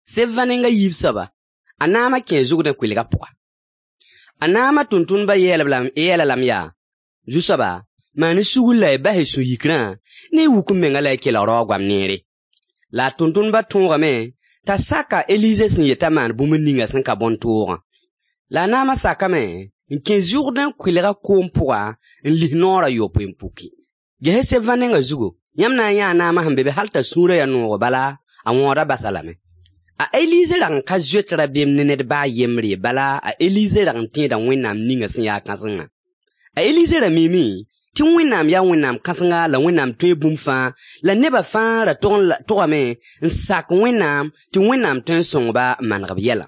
Seb-vã neng a yiib soaba, a naama kẽe Zʋrdẽ kʋɩlga pʋga. A naama tʋmtʋmdbã yeel-a lame yaa: Zu-soaba, maan-y sugr la y bas y sũ-yikrã ne y wuk m menga la y kelg raoog goam neere. La a tʋmtʋmdbã tõogame t'a sak a Elize sẽn yet t'a maan bũmb ninga sẽn ka bõn-toogã. La a naama sakame n kẽ Zʋrdẽ kʋɩlga koom pʋga n lis naoor a yopoe n puki. Ges-y seb-vã nengã zugu, yãmb na n yãa a naama sẽn be be hal t'a sũurã yaa noogo bala, a wõodã bas-a lame. A Elize rag n ka zoet rabeem ne ned ba a yembre ye, bala a Elize rag n tẽeda Wẽnnaam ninga sẽn ya kãsengã. A Elize ra miime tɩ Wẽnnaam yaa Wẽnnaam kãsenga la Wẽnnaam tõe bũmb fãa, la neba fãa ra togame n sak Wẽnnaam tɩ Wẽnnaam tõe n sõng-ba n maneg b yɛlã.